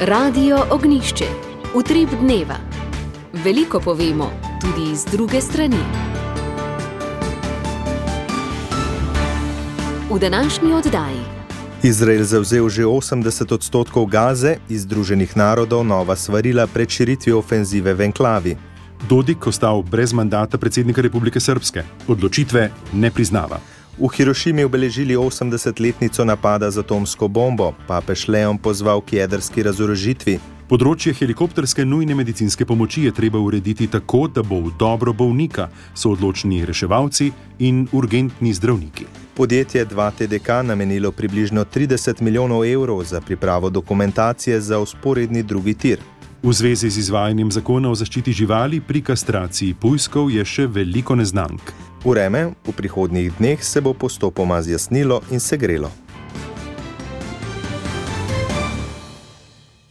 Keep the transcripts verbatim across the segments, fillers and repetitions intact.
Radio Ognišče, utrip dneva. Veliko povemo, tudi z druge strani. V današnji oddaji. Izrael zavzel že osemdeset odstotkov Gaze, iz Združenih narodov nova svarila pred širitvijo ofenzive v enklavi. Dodik ostal brez mandata predsednika Republike Srbske. Odločitve ne priznava. V Hirošimi obeležili osemdesetletnico napada z atomsko bombo, papež Leon pozval k jedrski razorožitvi. Področje helikopterske nujne medicinske pomoči je treba urediti tako, da bo v dobro bolnika, so odločni reševalci in urgentni zdravniki. Podjetje dva T D K namenilo približno trideset milijonov evrov za pripravo dokumentacije za vzporedni drugi tir. V zvezi z izvajanjem zakona o zaščiti živali pri kastraciji pujskov je še veliko neznank. Vreme v prihodnjih dneh se bo postopoma zjasnilo in segrelo.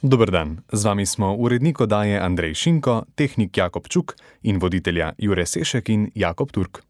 Dober dan, z vami smo urednik oddaje Andrej Šinko, tehnik Jakob Čuk in voditelja Jure Sešek in Jakob Turk.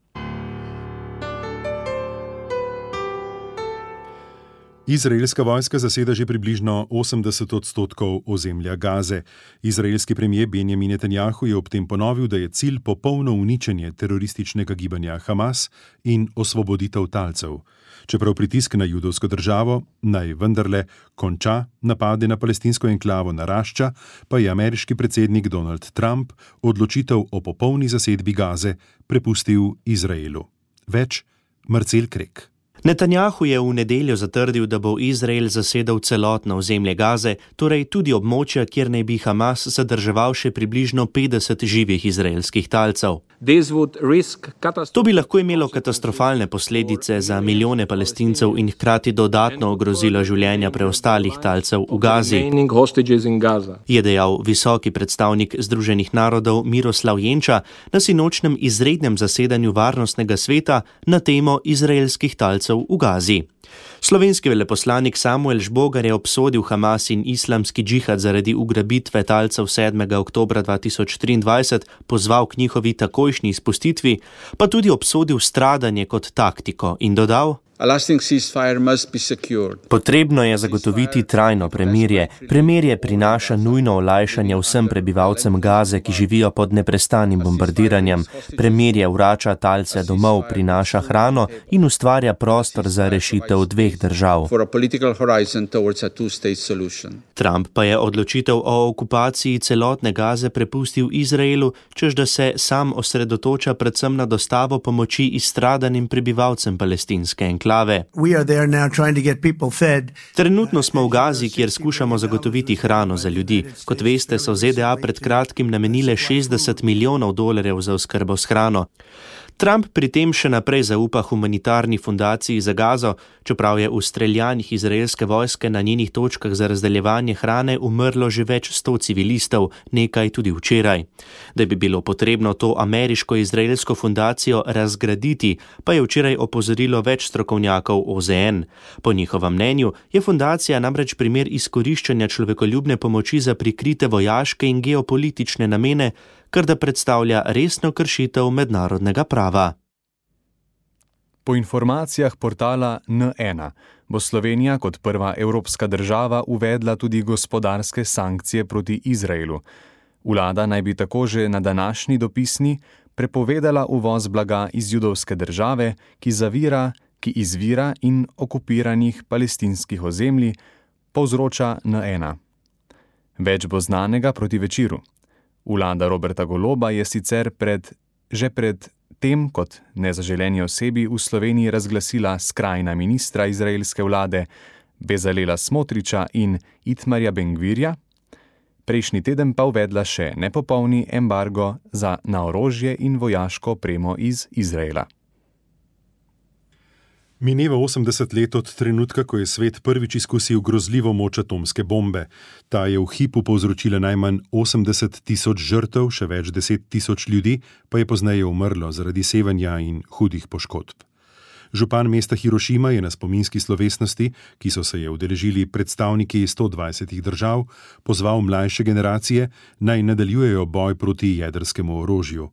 Izraelska vojska zaseda že približno osemdeset odstotkov ozemlja Gaze. Izraelski premier Benjamin Netanjahu je ob tem ponovil, da je cilj popolno uničenje terorističnega gibanja Hamas in osvoboditev talcev. Čeprav pritisk na judovsko državo naj vendarle konča napade na palestinsko enklavo narašča, pa je ameriški predsednik Donald Trump odločitev o popolni zasedbi Gaze prepustil Izraelu. Več Marcel Krek. Netanjahu je v nedeljo zatrdil, da bo Izrael zasedel celotno ozemlje Gaze, torej tudi območja, kjer naj bi Hamas zadrževal še približno petdeset živih izraelskih talcev. To bi lahko imelo katastrofalne posledice za milijone Palestincev in hkrati dodatno ogrozilo življenja preostalih talcev v Gazi, je dejal visoki predstavnik Združenih narodov Miroslav Jenča na sinočnem izrednem zasedanju Varnostnega sveta na temo izraelskih talcev v Gazi. Slovenski veleposlanik Samuel Žbogar je obsodil Hamas in islamski džihad zaradi ugrabitve talcev sedmega oktobra dva tisoč triindvajset, pozval k njihovi takojšnji izpustitvi, pa tudi obsodil stradanje kot taktiko in dodal: Potrebno je zagotoviti trajno premirje. Premirje prinaša nujno olajšanje vsem prebivalcem Gaze, ki živijo pod neprestanim bombardiranjem. Premirje vrača talce domov, prinaša hrano in ustvarja prostor za rešitev dveh držav. Trump pa je odločitev o okupaciji celotne Gaze prepustil Izraelu, čež da se sam osredotoča predvsem na dostavo pomoči izstradanim prebivalcem palestinske enklave. Trenutno smo v Gazi, kjer skušamo zagotoviti hrano za ljudi. Kot veste, so Z D A pred kratkim namenile šestdeset milijonov dolarjev za oskrbo s hrano. Trump pri tem še naprej zaupa humanitarni fundaciji za Gazo, čeprav je v streljanjih izraelske vojske na njenih točkah za razdeljevanje hrane umrlo že več sto civilistov, nekaj tudi včeraj. Da bi bilo potrebno to ameriško-izraelsko fundacijo razgraditi, pa je včeraj opozorilo več strokovnjakov O Z N. Po njihovem mnenju je fundacija namreč primer izkoriščanja človekoljubne pomoči za prikrite vojaške in geopolitične namene, kar da predstavlja resno kršitev mednarodnega prava. Po informacijah portala N ena bo Slovenija kot prva evropska država uvedla tudi gospodarske sankcije proti Izraelu. Vlada naj bi tako že na današnji dopisni prepovedala uvoz blaga iz judovske države, ki zavira, ki izvira in okupiranih palestinskih ozemlji, povzroča N ena. Več bo znanega proti večeru. Vlada Roberta Goloba je sicer pred, že pred tem kot nezaželeni osebi v Sloveniji razglasila skrajna ministra izraelske vlade Bezalela Smotriča in Itmarja Ben-Gvirja, prejšnji teden pa uvedla še nepopolni embargo za na orožje in vojaško opremo iz Izraela. Mineva osemdeset let od trenutka, ko je svet prvič izkusil grozljivo moč atomske bombe. Ta je v hipu povzročila najmanj osemdeset tisoč žrtev, še več deset tisoč ljudi pa je pozneje umrlo zaradi sevanja in hudih poškodb. Župan mesta Hirošima je na spominski slovesnosti, ki so se je udeležili predstavniki sto dvajsetih držav, pozval mlajše generacije, naj nadaljujejo boj proti jedrskemu orožju.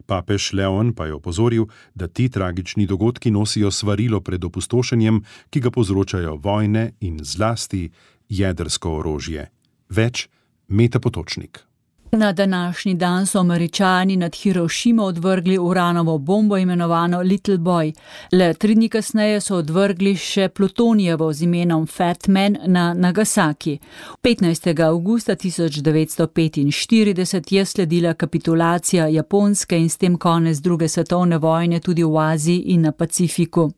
Papež Leon pa je opozoril, da ti tragični dogodki nosijo svarilo pred opustošenjem, ki ga povzročajo vojne in zlasti jedrsko orožje. Več Meta Potočnik. Na današnji dan so Američani nad Hirošimo odvrgli uranovo bombo imenovano Little Boy. Le tri dni kasneje so odvrgli še plutonijevo z imenom Fat Man na Nagasaki. petnajstega avgusta tisoč devetsto petinštirideset je sledila kapitulacija Japonske in s tem konec druge svetovne vojne tudi v Aziji in na Pacifiku.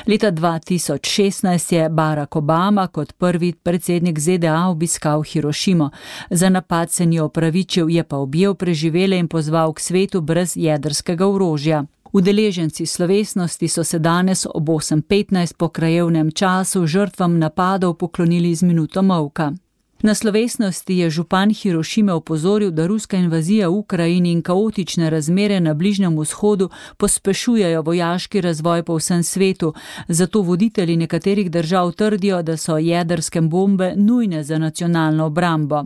Leta dva tisoč šestnajst je Barack Obama kot prvi predsednik Z D A obiskal Hirošimo. Za napad se ni opravičil, je pa objel preživele in pozval k svetu brez jedrskega orožja. Udeleženci slovesnosti so se danes ob osem petnajst po krajevnem času žrtvam napadov poklonili z minuto molka. Na slovesnosti je župan Hirošime opozoril, da ruska invazija v Ukrajini in kaotične razmere na Bližnjem vzhodu pospešujejo vojaški razvoj po vsem svetu, zato voditelji nekaterih držav trdijo, da so jedrske bombe nujne za nacionalno obrambo.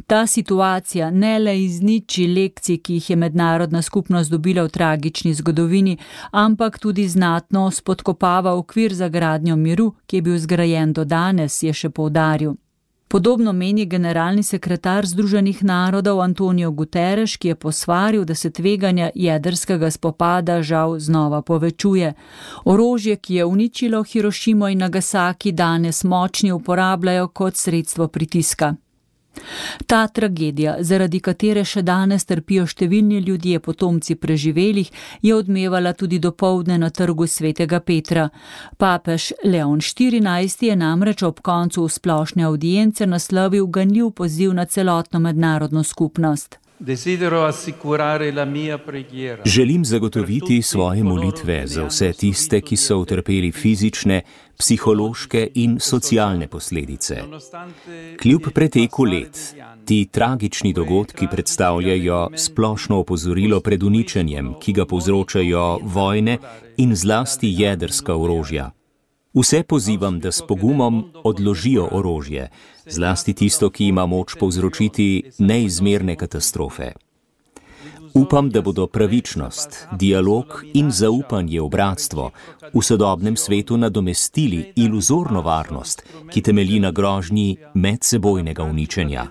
Ta situacija ne le izniči lekcij, ki jih je mednarodna skupnost dobila v tragični zgodovini, ampak tudi znatno spodkopava okvir za gradnjo miru, ki je bil zgrajen do danes, je še poudaril. Podobno meni generalni sekretar Združenih narodov Antonio Guterres, ki je posvaril, da se tveganja jedrskega spopada žal znova povečuje. Orožje, ki je uničilo Hirošimo in Nagasaki, danes močni uporabljajo kot sredstvo pritiska. Ta tragedija, zaradi katere še danes trpijo številni ljudje, potomci preživelih, je odmevala tudi dopoldne na trgu Svetega Petra. Papež Leon štirinajsti je namreč ob koncu splošne avdience naslovil ganljiv poziv na celotno mednarodno skupnost. Želim zagotoviti svoje molitve za vse tiste, ki so utrpeli fizične, psihološke in socialne posledice. Kljub preteku let, ti tragični dogodki predstavljajo splošno opozorilo pred uničenjem, ki ga povzročajo vojne in zlasti jedrska orožja. Vse pozivam, da s pogumom odložijo orožje, zlasti tisto, ki ima moč povzročiti neizmerne katastrofe. Upam, da bodo pravičnost, dialog in zaupanje v bratstvo v sodobnem svetu nadomestili iluzorno varnost, ki temelji na grožnji medsebojnega uničenja.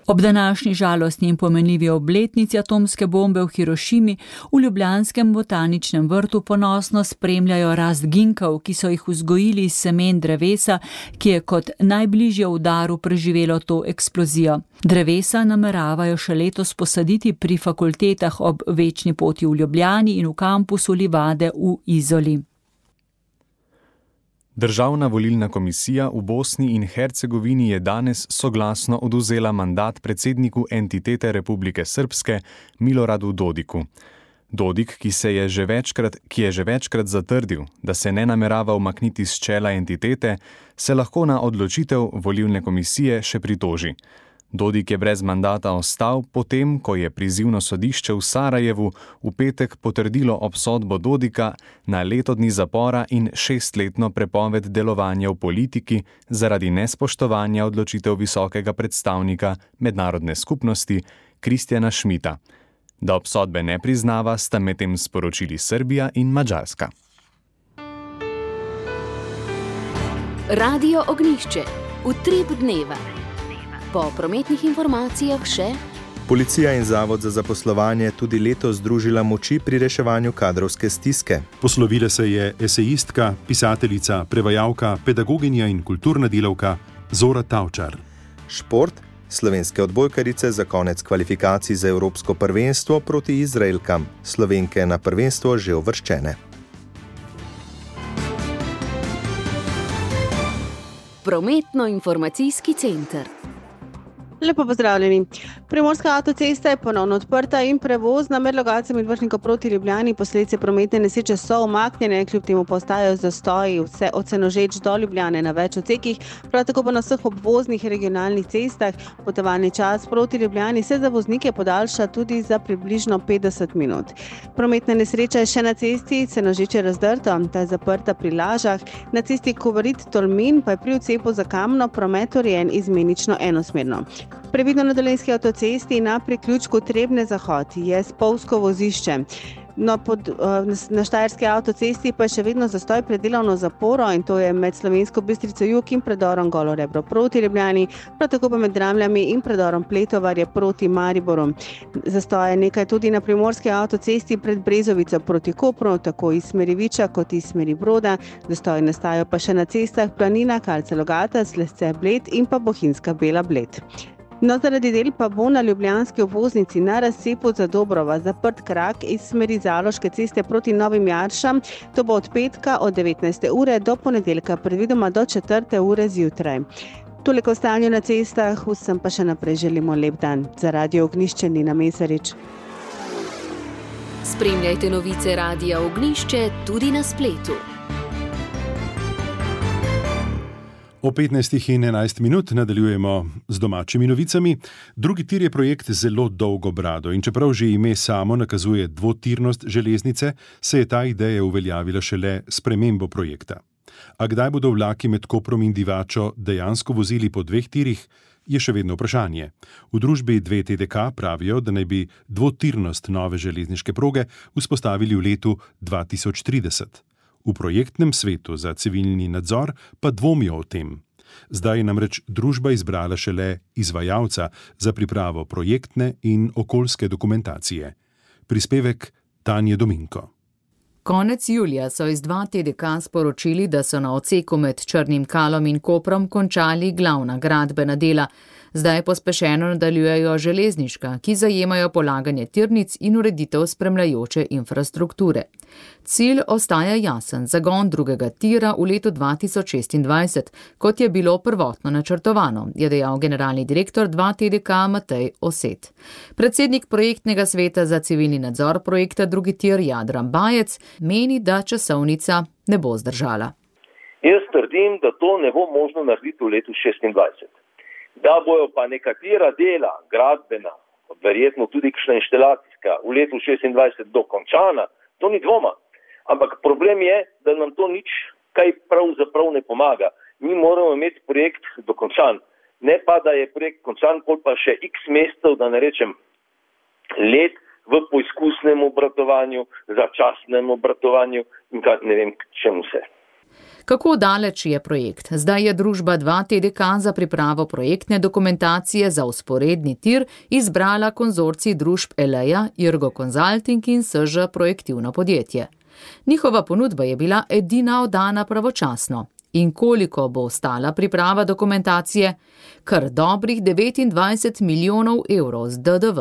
Ob današnji žalostni in pomenljivi obletnici atomske bombe v Hirošimi v ljubljanskem botaničnem vrtu ponosno spremljajo rast ginkov, ki so jih vzgojili iz semen drevesa, ki je kot najbližje udaru preživelo to eksplozijo. Drevesa nameravajo še letos posaditi pri fakultetah ob Večni poti v Ljubljani in v kampusu Livade v Izoli. Državna volilna komisija v Bosni in Hercegovini je danes soglasno odvzela mandat predsedniku entitete Republike Srpske Miloradu Dodiku. Dodik, ki, se je že večkrat, ki je že večkrat zatrdil, da se ne namerava umakniti s čela entitete, se lahko na odločitev volilne komisije še pritoži. Dodik je brez mandata ostal, potem ko je prizivno sodišče v Sarajevu v petek potrdilo obsodbo Dodika na leto dni zapora in šestletno prepoved delovanja v politiki zaradi nespoštovanja odločitev visokega predstavnika mednarodne skupnosti Kristjana Schmidta. Da obsodbe ne priznava, sta medtem sporočili Srbija in Madžarska. Radio Ognjišče. Utrip dneva. Po prometnih informacijah še: Policija in Zavod za zaposlovanje tudi letos združila moči pri reševanju kadrovske stiske. Poslovila se je esejistka, pisateljica, prevajalka, pedagoginja in kulturna delavka Zora Tavčar. Šport. Slovenske odbojkarice za konec kvalifikacij za Evropsko prvenstvo proti Izraelkam. Slovenke na prvenstvo že uvrščene. Prometno-informacijski center. Lepo pozdravljeni. Primorska avtocesta je ponovno odprta in prevozna med lokacijami od Vršnika proti Ljubljani. Posledice prometne nesreče so umaknjene, kljub temu pa ostajajo zastoji vse od Senožeč do Ljubljane na več odsekih. Prav tako pa na vseh obvoznih regionalnih cestah potovalni čas proti Ljubljani se za voznike podaljša tudi za približno petdeset minut. Prometna nesreča je še na cesti Senožeče Razdrto, ta je zaprta pri Lažah. Na cesti Kovarit-Tolmin pa je pri odcepu za Kamno promet urejen izmenično enosmerno. Previdno na Dolenjski avtocesti na priključku Trebne Zahod je spolzko vozišče. No, pod, na Štajerski avtocesti pa je še vedno zastoj pred delovno zaporo in to je med Slovensko Bistrico jug in predorom Golo Rebro proti Ljubljani, prav tako pa med Dramljami in predorom Pletovarje proti Mariboru. Zastoj je nekaj tudi na Primorski avtocesti pred Brezovico proti Kopru, tako iz smeri Viča kot iz smeri Broda. Zastoj nastajajo pa še na cestah Planina, Kalce Logata, Slesce Bled in pa Bohinjska Bela Bled. No, zaradi del pa bo na ljubljanski obvoznici na razcepu za Dobrova zaprt krak iz smeri Zaloške ceste proti Novim Jaršam. To bo od petka od devetnajste ure do ponedeljka, predvidoma do četrte ure zjutraj. Toliko o stanju na cestah, vsem pa še naprej želimo lep dan. Za Radio Ognjišče Nina Mesarič. Spremljajte novice Radia Ognjišče tudi na spletu. O petnajstih in enajst minut nadaljujemo z domačimi novicami. Drugi tir je projekt zelo dolgo brado in čeprav že ime samo nakazuje dvotirnost železnice, se je ta ideja uveljavila šele s spremembo projekta. A kdaj bodo vlaki med Koprom in Divačo dejansko vozili po dveh tirih, je še vedno vprašanje. V družbi dve T D K pravijo, da naj bi dvotirnost nove železniške proge vzpostavili v letu dva tisoč trideset. V projektnem svetu za civilni nadzor pa dvomijo o tem. Zdaj je namreč družba izbrala šele izvajalca za pripravo projektne in okoljske dokumentacije. Prispevek Tanje Dominko. Konec julija so iz dva T D K sporočili, da so na odseku med Črnim Kalom in Koprom končali glavna gradbena dela. Zdaj pospešeno nadaljujejo železniška, ki zajemajo polaganje tirnic in ureditev spremljajoče infrastrukture. Cilj ostaja jasen, zagon drugega tira v letu dva tisoč šestindvajset, kot je bilo prvotno načrtovano, je dejal generalni direktor dva T D K Matej Oset. Predsednik projektnega sveta za civilni nadzor projekta drugi tir Jadran Bajec meni, da časovnica ne bo zdržala. Jaz trdim, da to ne bo možno narediti v letu šestindvajset. Da bojo pa nekatera dela, gradbena, verjetno tudi kakšna inštalacijska, v letu šestindvajset dokončana, to ni dvoma. Ampak problem je, da nam to nič kaj pravzaprav ne pomaga. Mi moramo imeti projekt dokončan. Ne pa, da je projekt končan, pol pa še x mesecev, da ne rečem let v poizkusnem obratovanju, začasnem obratovanju in kaj ne vem čemu vse. Kako daleč je projekt? Zdaj je družba dva T D K za pripravo projektne dokumentacije za vzporedni tir izbrala konzorcij družb Eleja, Irgo Consulting in S Ž Projektivno podjetje. Njihova ponudba je bila edina oddana pravočasno. In koliko bo stala priprava dokumentacije? Kar dobrih devetindvajset milijonov evrov z D D V.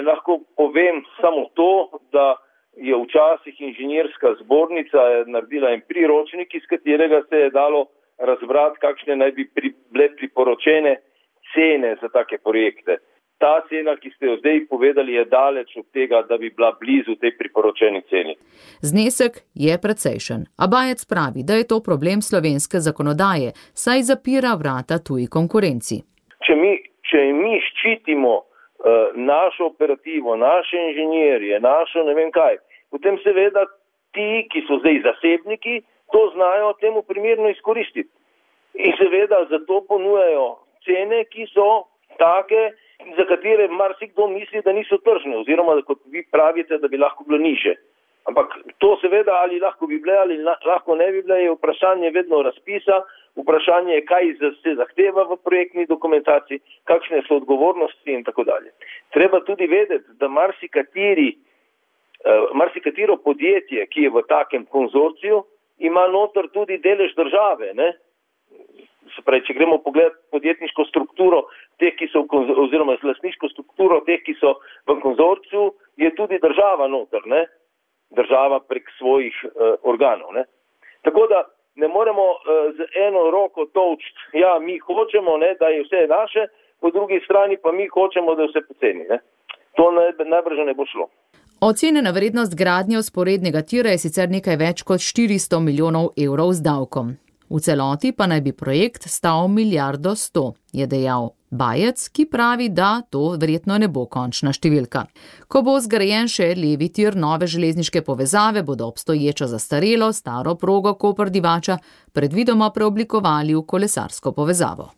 Lahko povem samo to, da je včasih inženirska zbornica naredila en priročnik, iz katerega se je dalo razbrati, kakšne naj bi pri, bile priporočene cene za take projekte. Ta cena, ki ste jo zdaj povedali, je daleč od tega, da bi bila blizu tej priporočeni ceni. Znesek je precejšen, a Bajec pravi, da je to problem slovenske zakonodaje, saj zapira vrata tuji konkurenci. Če mi, če mi ščitimo uh, našo operativo, naše inženirje, našo ne vem kaj, potem seveda ti, ki so zdaj zasebniki, to znajo temu primerno izkoristiti. In seveda zato ponujajo cene, ki so take, za katere marsikdo misli, da niso tržne, oziroma kot vi pravite, da bi lahko bilo nižje. Ampak to seveda ali lahko bi bile ali lahko ne bi bile, je vprašanje vedno razpisa, vprašanje je, kaj se zahteva v projektni dokumentaciji, kakšne so odgovornosti in tako dalje. Treba tudi vedeti, da marsikateri Uh, marsikatero podjetje, ki je v takem konzorciju, ima notor tudi delež države. Ne? Se pravi, če gremo pogledati podjetniško strukturo teh, ki so v, oziroma lastniško strukturo teh, ki so v konzorciju, je tudi država notor, ne? Država prek svojih uh, organov. Ne? Tako da ne moremo uh, z eno roko tolčiti, ja, mi hočemo, ne, da je vse naše, po drugi strani pa mi hočemo, da je vse poceni. Ne? To najbrž ne bo šlo. Ocenjena vrednost gradnje vzporednega tira je sicer nekaj več kot štiristo milijonov evrov z davkom. V celoti pa naj bi projekt stal milijardo sto, je dejal Bajec, ki pravi, da to verjetno ne bo končna številka. Ko bo zgrajen še levi tir nove železniške povezave, bodo obstoječo zastarelo staro progo Koper-Divača predvidoma preoblikovali v kolesarsko povezavo.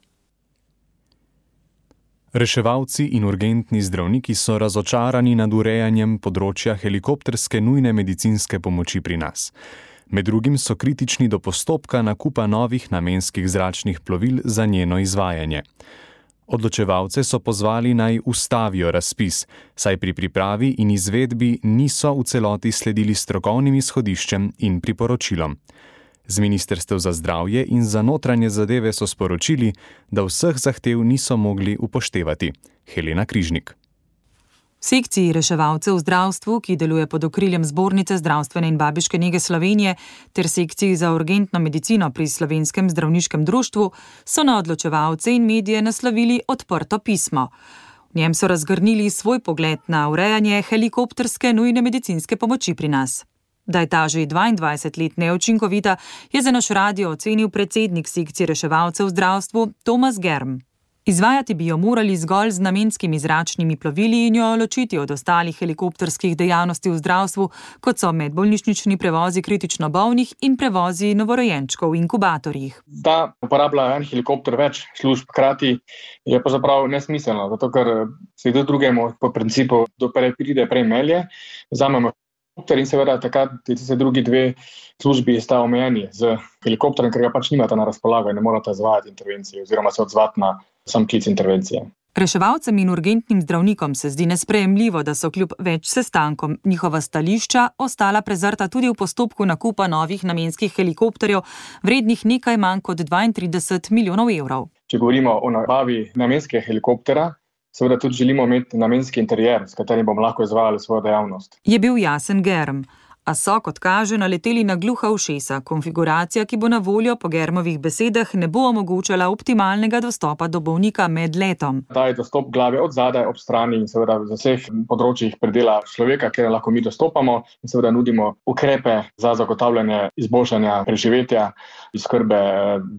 Reševalci in urgentni zdravniki so razočarani nad urejanjem področja helikopterske nujne medicinske pomoči pri nas. Med drugim so kritični do postopka nakupa novih namenskih zračnih plovil za njeno izvajanje. Odločevalce so pozvali naj ustavijo razpis, saj pri pripravi in izvedbi niso v celoti sledili strokovnim izhodiščem in priporočilom. Z Ministrstev za zdravje in za notranje zadeve so sporočili, da vseh zahtev niso mogli upoštevati. Helena Križnik. V sekciji reševalcev v zdravstvu, ki deluje pod okriljem Zbornice zdravstvene in babiške nege Slovenije, ter sekciji za urgentno medicino pri Slovenskem zdravniškem društvu, so na odločevalce in medije naslovili odprto pismo. V njem so razgrnili svoj pogled na urejanje helikopterske nujne medicinske pomoči pri nas. Da je ta že dvaindvajset let neučinkovita, je za naš radio ocenil predsednik sekcije reševalcev v zdravstvu Tomas Germ. Izvajati bi jo morali zgolj z namenskimi zračnimi plovili in jo ločiti od ostalih helikopterskih dejavnosti v zdravstvu, kot so medbolnišnični prevozi kritično bolnih in prevozi novorojenčkov v inkubatorjih. Da uporablja en helikopter več služb hkrati je pa zapravo nesmiselno, zato ker se do drugemu po principu do prej pride prej melje, vzamemo helikopter in seveda takrat se drugi dve službi sta omejeni z helikopterjem, ker ga pač nimata na razpolago in ne morata izvajati intervencije oziroma se odzvati na sam klic intervencije. Reševalcem in urgentnim zdravnikom se zdi nesprejemljivo, da so kljub več sestankom njihova stališča ostala prezrta tudi v postopku nakupa novih namenskih helikopterjev, vrednih nekaj manj kot dvaintrideset milijonov evrov. Če govorimo o nabavi namenskega helikoptera, seveda tudi želimo imeti namenski interier, s katerim bomo lahko izvajali svojo dejavnost. Je bil jasen Germ. A so, kot kaže, naleteli na gluha ušesa. Konfiguracija, ki bo na voljo po Germovih besedah, ne bo omogočala optimalnega dostopa do bolnika med letom. Ta je dostop glave od zadaj, ob strani in seveda v vseh področjih predela človeka, kjer lahko mi dostopamo in seveda nudimo ukrepe za zagotavljanje izboljšanja preživetja in skrbe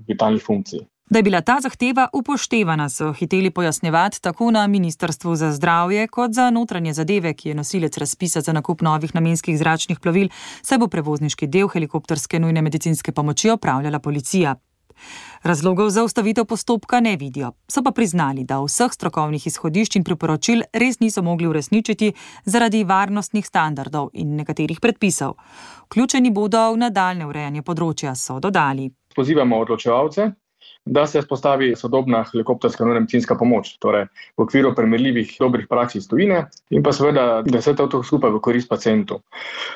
vitalnih funkcij. Da je bila ta zahteva upoštevana, so hiteli pojasnjevati tako na Ministrstvu za zdravje kot za notranje zadeve, ki je nosilec razpisa za nakup novih namenskih zračnih plovil, saj bo prevozniški del helikopterske nujne medicinske pomoči opravljala policija. Razlogov za ustavitev postopka ne vidijo, so pa priznali, da vseh strokovnih izhodišč in priporočil res niso mogli uresničiti zaradi varnostnih standardov in nekaterih predpisov. Vključeni bodo v nadaljnje urejanje področja, so dodali. Pozivamo odločevalce, da se vzpostavi sodobna helikopterska nujna medicinska pomoč, torej v okviru primerljivih dobrih praks iz tujine in pa seveda, da se to skupaj v korist pacientu.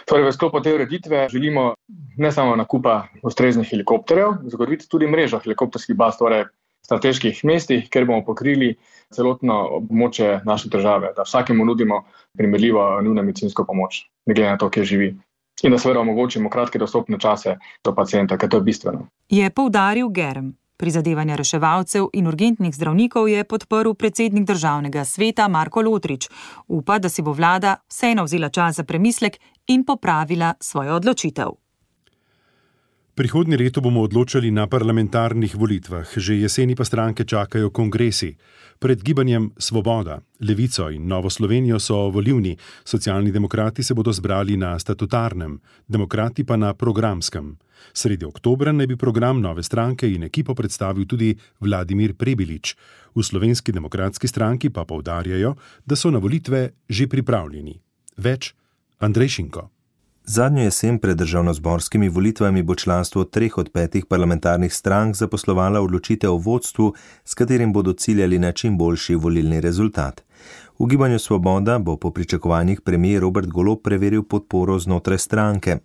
Torej v sklopu te ureditve želimo ne samo nakupa ustreznih helikopterjev, zagotoviti tudi mrežo helikopterskih baz, torej strateških mestih, kjer bomo pokrili celotno območje naše države, da vsakemu nudimo primerljivo nujno medicinsko pomoč, ne glede na to, kje živi. In da seveda omogočimo kratke dostopne čase do pacienta, ker to je bistveno. Je poudaril Germ. Prizadevanja reševalcev in urgentnih zdravnikov je podprl predsednik državnega sveta Marko Lotrič. Upa, da si bo vlada vseeno vzela čas za premislek in popravila svojo odločitev. Prihodnje leto bomo odločali na parlamentarnih volitvah, že jeseni pa stranke čakajo kongresi. Pred gibanjem Svoboda, Levico in Novo Slovenijo so volivni, socialni demokrati se bodo zbrali na statutarnem, demokrati pa na programskem. Sredi oktobra naj bi program nove stranke in ekipo predstavil tudi Vladimir Prebilič. V Slovenski demokratski stranki pa poudarjajo, da so na volitve že pripravljeni. Več Andrej Šinko. Zadnjo jesen pred državnozborskimi volitvami bo članstvo treh od petih parlamentarnih strank zaposlovala odločitev o vodstvu, s katerim bodo ciljali na čim boljši volilni rezultat. V gibanju Svoboda bo po pričakovanjih premier Robert Golob preveril podporo znotraj stranke.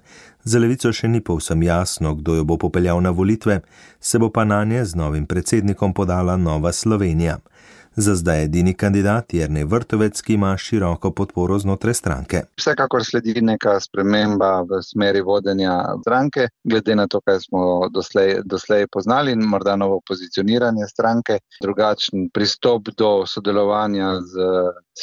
Za Levico še ni povsem jasno, kdo jo bo popeljal na volitve, se bo pa nanje z novim predsednikom podala Nova Slovenija. Za zdaj edini kandidat Jernej Vrtovec, ki ima široko podporo znotraj stranke. Vsekakor sledi neka sprememba v smeri vodenja stranke, glede na to, kaj smo doslej, doslej poznali, in morda novo pozicioniranje stranke, drugačen pristop do sodelovanja z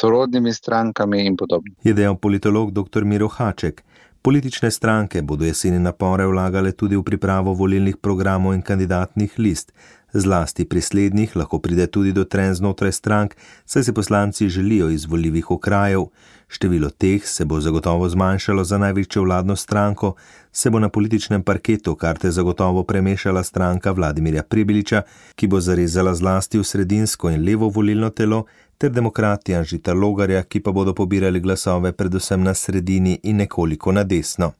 sorodnimi strankami in podobno. Je dejal politolog doktor Miro Haček. Politične stranke bodo jeseni napore vlagale tudi v pripravo volilnih programov in kandidatnih list. Zlasti pri slednjih lahko pride tudi do trenj znotraj strank, saj si poslanci želijo izvoljivih okrajev. Število teh se bo zagotovo zmanjšalo za največjo vladno stranko, se bo na političnem parketu karte zagotovo premešala stranka Vladimirja Prebiliča, ki bo zarezala zlasti v sredinsko in levo volilno telo, ter demokrati Anžeta Logarja, ki pa bodo pobirali glasove predvsem na sredini in nekoliko na desno.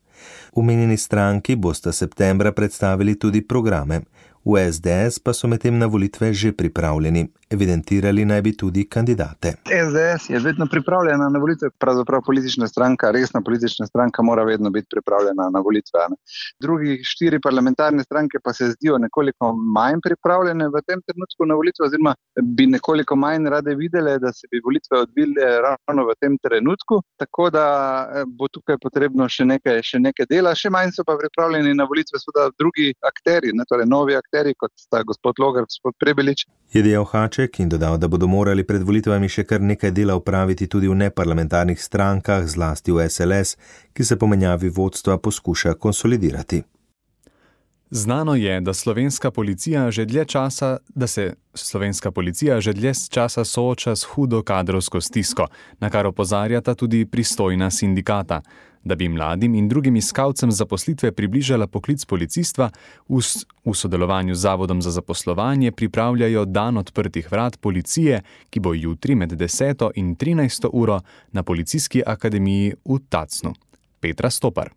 Omenjeni stranki bosta septembra predstavili tudi programe. V es de es pa so medtem na volitve že pripravljeni. Evidentirali naj bi tudi kandidate. es de es je vedno pripravljena na volitve, pravzaprav politična stranka, resna politična stranka mora vedno biti pripravljena na volitve. Ne? Drugi štiri parlamentarne stranke pa se zdijo nekoliko manj pripravljene v tem trenutku na volitve, oziroma bi nekoliko manj rade videle, da se bi volitve odvile ravno v tem trenutku, tako da bo tukaj potrebno še nekaj, še nekaj dela, še manj so pa pripravljeni na volitve seveda drugi akteri, ne, torej novi akteri, kot sta gospod Logar, gospod Prebilič. Je dejal Haček in dodal, da bodo morali pred volitvami še kar nekaj dela upraviti tudi v neparlamentarnih strankah, zlasti v es el es, ki se po menjavi vodstva poskuša konsolidirati. Znano je, da slovenska policija že dlje časa, da se slovenska policija že dlje časa sooča s hudo kadrovsko stisko, na kar opozarjata tudi pristojna sindikata. Da bi mladim in drugim iskalcem zaposlitve približala poklic policistva, v, v sodelovanju z Zavodom za zaposlovanje pripravljajo dan odprtih vrat policije, ki bo jutri med deseto in trinajsto uro na Policijski akademiji v Tacnu. Petra Stopar.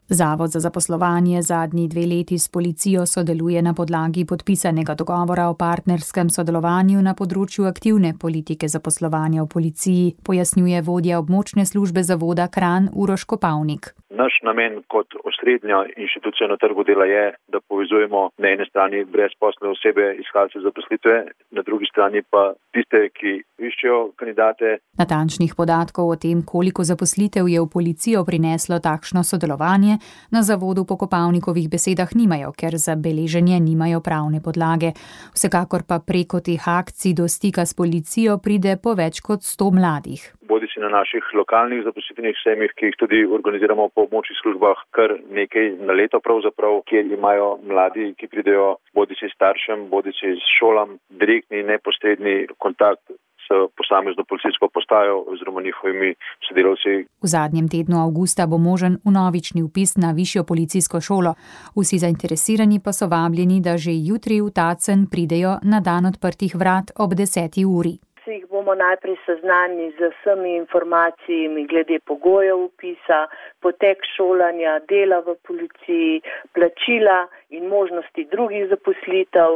Zavod za zaposlovanje zadnji dve leti s policijo sodeluje na podlagi podpisanega dogovora o partnerskem sodelovanju na področju aktivne politike zaposlovanja v policiji, pojasnjuje vodja območne službe zavoda Kranj Uroš Kopavnik. Naš namen kot osrednja inštitucija na trgu dela je, da povezujemo na eni strani brezposelne osebe, iskalce zaposlitve, na drugi strani pa tiste, ki iščejo kandidate. Natančnih podatkov o tem, koliko zaposlitev je v policijo prineslo takšno sodelovanje, na zavodu po Kopavnikovih besedah nimajo, ker za beleženje nimajo pravne podlage. Vsekakor pa preko teh akcij do stika s policijo pride po več kot sto mladih. Bodi si na naših lokalnih zaposlitvenih sejmih, ki jih tudi organiziramo po območnih službah, kar nekaj na leto pravzaprav, kjer imajo mladi, ki pridejo bodi si staršem, bodi si s šolam, direktni, neposredni kontakt s posamezno policijsko postajo oziroma njihovimi sodelavci. V zadnjem tednu avgusta bo možen vnovični vpis na višjo policijsko šolo. Vsi zainteresirani pa so vabljeni, da že jutri v Tacen pridejo na dan odprtih vrat ob deseti uri. Jih bomo najprej seznanili z vsemi informacijami glede pogojev vpisa, potek šolanja, dela v policiji, plačila in možnosti drugih zaposlitev.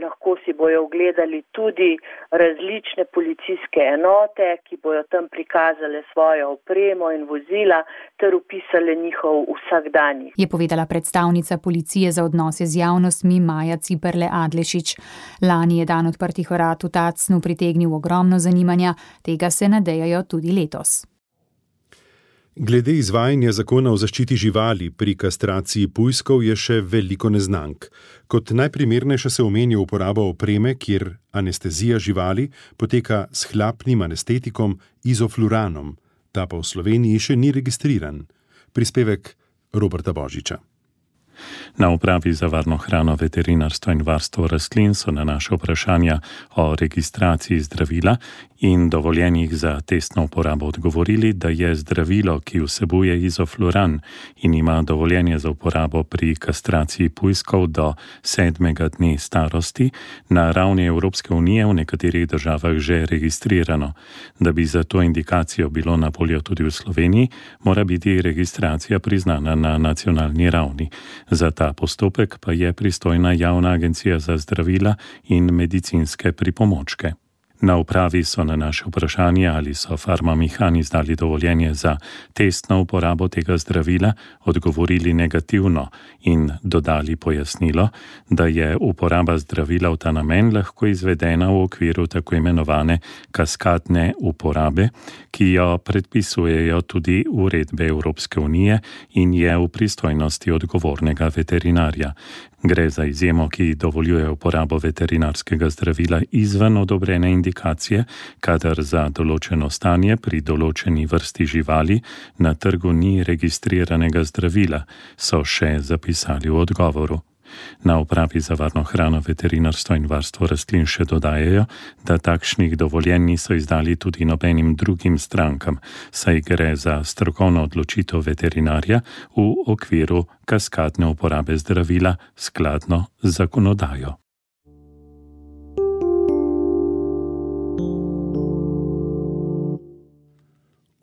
Lahko si bojo ogledali tudi različne policijske enote, ki bojo tam prikazale svojo opremo in vozila ter opisale njihov vsakdanjik. Je povedala predstavnica policije za odnose z javnostmi Maja Ciperle Adlešič. Lani je dan odprtih vrat v Tacnu pritegnil ogromno zanimanja, tega se nadejajo tudi letos. Glede izvajanja zakona o zaščiti živali pri kastraciji pujskov je še veliko neznank. Kot najprimernejša se omenja uporaba opreme, kjer anestezija živali poteka s hlapnim anestetikom izofluranom. Ta pa v Sloveniji še ni registriran. Prispevek Roberta Božiča. Na upravi za varno hrano, veterinarstvo in varstvo rastlin so na naše vprašanja o registraciji zdravila in dovoljenjih za testno uporabo odgovorili, da je zdravilo, ki vsebuje izofluran in ima dovoljenje za uporabo pri kastraciji pujskov do sedmega dne starosti, na ravni Evropske unije v nekaterih državah že registrirano. Da bi za to indikacijo bilo na voljo tudi v Sloveniji, mora biti registracija priznana na nacionalni ravni. Za ta postopek pa je pristojna Javna agencija za zdravila in medicinske pripomočke. Na upravi so na naše vprašanje, ali so Farmamehani izdali dovoljenje za testno uporabo tega zdravila, odgovorili negativno in dodali pojasnilo, da je uporaba zdravila v ta namen lahko izvedena v okviru tako imenovane kaskadne uporabe, ki jo predpisujejo tudi uredbe Evropske unije in je v pristojnosti odgovornega veterinarja. Gre za izjemo, ki dovoljuje uporabo veterinarskega zdravila izven odobrene indikacije, kadar za določeno stanje pri določeni vrsti živali na trgu ni registriranega zdravila, so še zapisali v odgovoru. Na upravi za varno hrano, veterinarstvo in varstvo rastlin še dodajajo, da takšnih dovoljenj niso izdali tudi nobenim drugim strankam, saj gre za strokovno odločitev veterinarja v okviru kaskadne uporabe zdravila skladno z zakonodajo.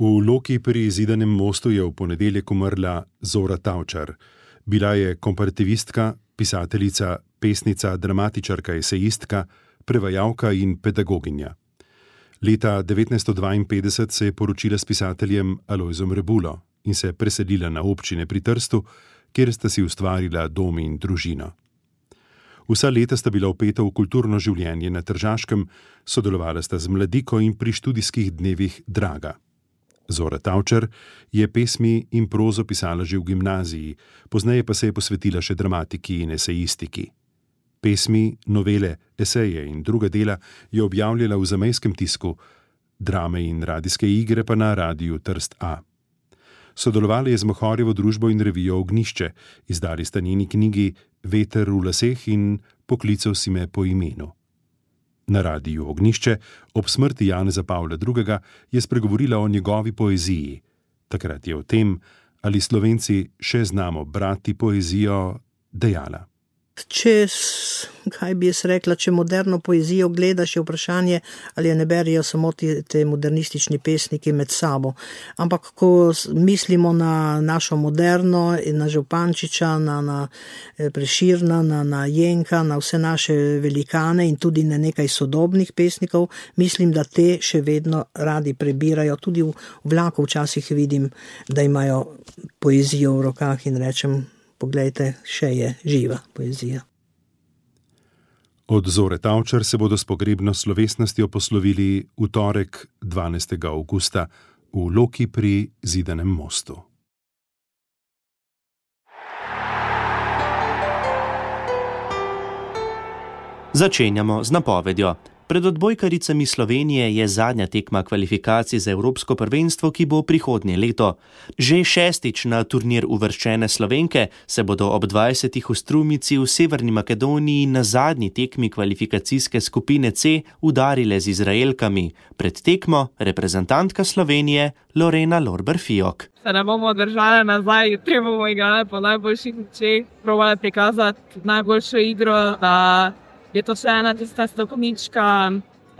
V Loki pri Zidanem mostu je v ponedeljek umrla Zora Tavčar. Bila je komparativistka, pisateljica, pesnica, dramatičarka, esejistka, prevajalka in pedagoginja. Leta devetnajststo dvainpetdeset se je poročila s pisateljem Alojzom Rebulo in se preselila na občine pri Trstu, kjer sta si ustvarila dom in družino. Vsa leta sta bila vpeta v kulturno življenje na Tržaškem, sodelovala sta z Mladiko in pri študijskih dnevih Draga. Zora Tavčar je pesmi in prozo pisala že v gimnaziji, pozneje pa se je posvetila še dramatiki in esejistiki. Pesmi, novele, eseje in druga dela je objavljala v zamejskem tisku, drame in radijske igre pa na Radiu Trst A. Sodelovala je z Mohorjevo družbo in revijo Ognjišče, izdali sta njeni knjigi Veter v laseh in Poklical si me po imenu. Na Radiju Ognjišče ob smrti Janeza Pavla drugega je spregovorila o njegovi poeziji. Takrat je o tem, ali Slovenci še znamo brati poezijo, dejala. Če, kaj bi jaz rekla, če moderno poezijo gledaš, je vprašanje, ali je ne berijo samo te, te modernistični pesniki med sabo. Ampak ko mislimo na našo moderno, na Župančiča, na, na Preširna, na, na Jenka, na vse naše velikane in tudi na nekaj sodobnih pesnikov, mislim, da te še vedno radi prebirajo. Tudi v vlaku včasih vidim, da imajo poezijo v rokah in rečem, poglejte, še je živa poezija. Od Zore Tavčar se bodo s pogrebno slovesnostjo poslovili v torek dvanajstega avgusta v Loki pri Zidanem mostu. Začenjamo z napovedjo. Pred odbojkaricami Slovenije je zadnja tekma kvalifikacij za Evropsko prvenstvo, ki bo prihodnje leto. Že šestič na turnir uvrščene Slovenke se bodo ob dvajsetih v Strumici v Severni Makedoniji na zadnji tekmi kvalifikacijske skupine C udarile z Izraelkami. Pred tekmo reprezentantka Slovenije Lorena Lorber-Fiok. Se ne bomo držali nazaj, jutri bomo igrali po najboljših močeh, probali prikazati najboljšo igro, da je to še ena tista stopnička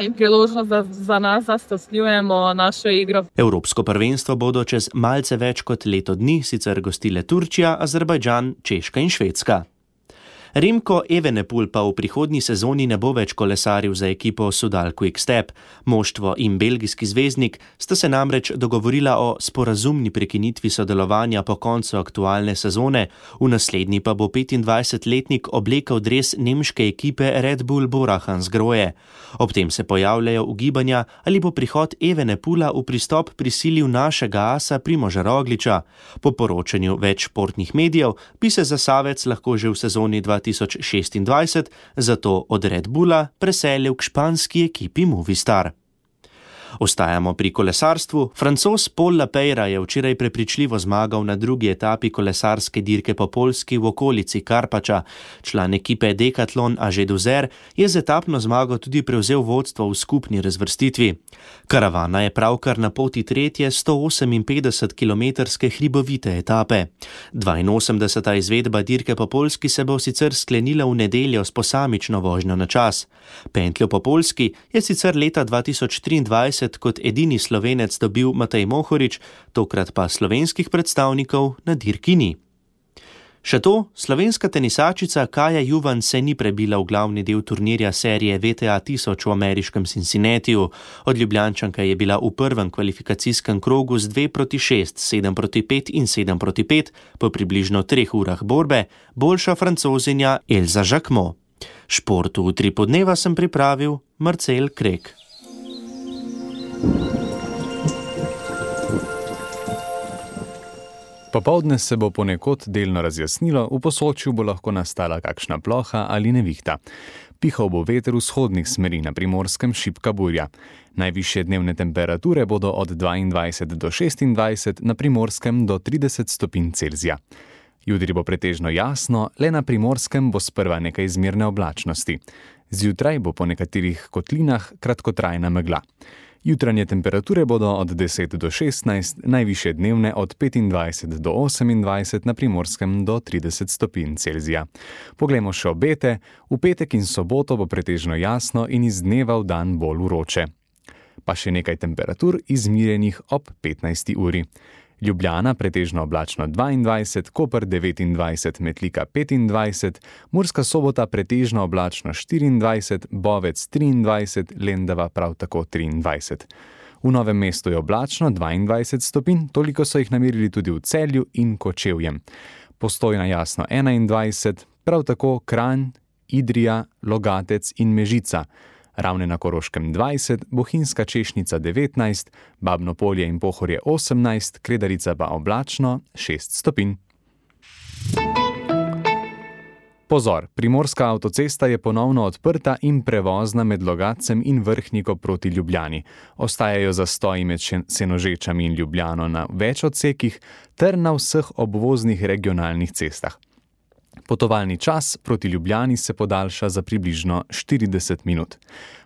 in priložnost za, za nas, da stopnjujemo našo igro. Evropsko prvenstvo bodo čez malce več kot leto dni sicer gostile Turčija, Azerbajdžan, Češka in Švedska. Remko Evenepoel pa v prihodnji sezoni ne bo več kolesaril za ekipo Sudal Quick-Step. Moštvo in belgijski zvezdnik sta se namreč dogovorila o sporazumni prekinitvi sodelovanja po koncu aktualne sezone, v naslednji pa bo petindvajsetletnik oblekel dres nemške ekipe Red Bull Bora Hansgrohe. Ob tem se pojavljajo ugibanja, ali bo prihod Evenepoela v pristop prisilil našega asa Primoža Rogliča. Po poročanju več športnih medijev bi se Zasavec lahko že v sezoni dva tisoč šestindvajset zato od Red Bulla preselil k španski ekipi Movistar. Ostajamo pri kolesarstvu. Francoz Paul Lapeyra je včeraj prepričljivo zmagal na drugi etapi kolesarske dirke po Poljski v okolici Karpača. Član ekipe Decathlon Aže Duzer je z etapno zmago tudi prevzel vodstvo v skupni razvrstitvi. Karavana je pravkar na poti tretje sto oseminpetdesetkilometrske hribovite etape. dvainosemdeseta izvedba dirke po Poljski se bo sicer sklenila v nedeljo s posamično vožnjo na čas. Pentljo po Poljski je sicer leta dva tisoč triindvajset kot edini Slovenec dobil Matej Mohorič, tokrat pa slovenskih predstavnikov na dirki ni. Še to, slovenska tenisačica Kaja Juvan se ni prebila v glavni del turnirja serije V T A tisoč v ameriškem Cincinnatiju. Od Ljubljančanke je bila v prvem kvalifikacijskem krogu z dve proti šest, sedem proti pet in sedem proti pet po približno treh urah borbe boljša Francozinja Elza Jacquemot. Športu v tri podneva sem pripravil Marcel Krek. Popoldne se bo ponekod delno razjasnilo, v Posočju bo lahko nastala kakšna ploha ali nevihta. Pihal bo veter vzhodnih smeri, na Primorskem šibka burja. Najvišje dnevne temperature bodo od dvaindvajset do šestindvajset, na Primorskem do trideset stopinj Celzija. Jutri bo pretežno jasno, le na Primorskem bo sprva nekaj izmerne oblačnosti. Zjutraj bo po nekaterih kotlinah kratkotrajna megla. Jutranje temperature bodo od deset do šestnajst, najvišje dnevne od petindvajset do osemindvajset, na Primorskem do trideset stopinj Celzija. Poglejmo še obete. V petek in soboto bo pretežno jasno in iz dneva v dan bolj vroče. Pa še nekaj temperatur izmirjenih ob petnajsti uri. Ljubljana pretežno oblačno dvaindvajset, Koper devetindvajset, Metlika petindvajset, Murska Sobota pretežno oblačno štiriindvajset, Bovec triindvajset, Lendava prav tako triindvajset. V Novem mestu je oblačno dvaindvajset stopinj, toliko so jih namerili tudi v Celju in Kočevjem. Postojna jasno enaindvajset, prav tako Kranj, Idrija, Logatec in Mežica. Ravne na Koroškem dvajset, Bohinjska Češnica devetnajst, Babno Polje in Pohorje osemnajst, Kredarica pa oblačno šest stopinj. Pozor, Primorska avtocesta je ponovno odprta in prevozna med Logatcem in Vrhniko proti Ljubljani. Ostajajo zastoji med Senožečami in Ljubljano na več odsekih ter na vseh obvoznih regionalnih cestah. Potovalni čas proti Ljubljani se podaljša za približno štirideset minut.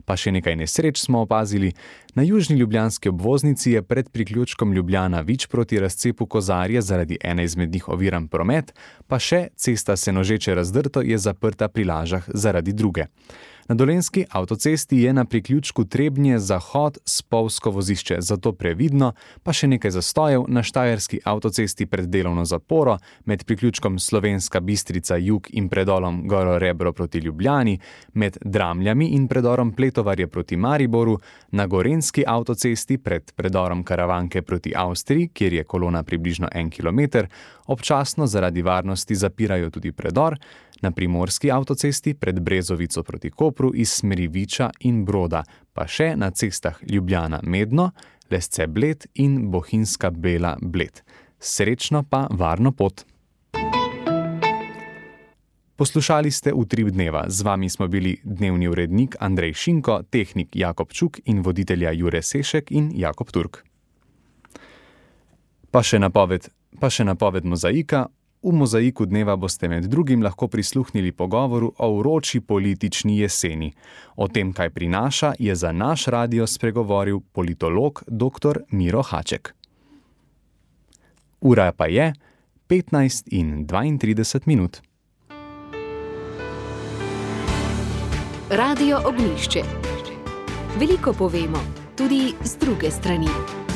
Pa še nekaj nesreč smo opazili. Na južni ljubljanski obvoznici je pred priključkom Ljubljana-Vič proti razcepu Kozarje zaradi ene izmed njih oviran promet, pa še cesta Senožeče-Razdrto je zaprta pri Lažah zaradi druge. Na Dolenjski avtocesti je na priključku Trebnje-Zahod spolzko vozišče, zato previdno, pa še nekaj zastojev na Štajerski avtocesti pred delovno zaporo, med priključkom Slovenska Bistrica-Jug in predolom Goro Rebro proti Ljubljani, med Dramljami in predorom Pletovarje proti Mariboru, na Gorenjski avtocesti pred predorom Karavanke proti Avstriji, kjer je kolona približno en kilometer, občasno zaradi varnosti zapirajo tudi predor, na Primorski avtocesti pred Brezovico proti Kopru iz smeri Viča in Broda, pa še na cestah Ljubljana-Medno, Lesce-Bled in Bohinjska Bela-Bled. Srečno pa varno pot! Poslušali ste Utrip dneva. Z vami smo bili dnevni urednik Andrej Šinko, tehnik Jakob Čuk in voditelja Jure Sešek in Jakob Turk. Pa še napoved, pa še napoved mozaika. V mozaiku dneva boste med drugim lahko prisluhnili pogovoru o vroči politični jeseni. O tem, kaj prinaša, je za naš radio spregovoril politolog dr. Miro Haček. Ura pa je petnajst in dvaintrideset minut. Radio Ognjišče. Veliko povemo, tudi z druge strani.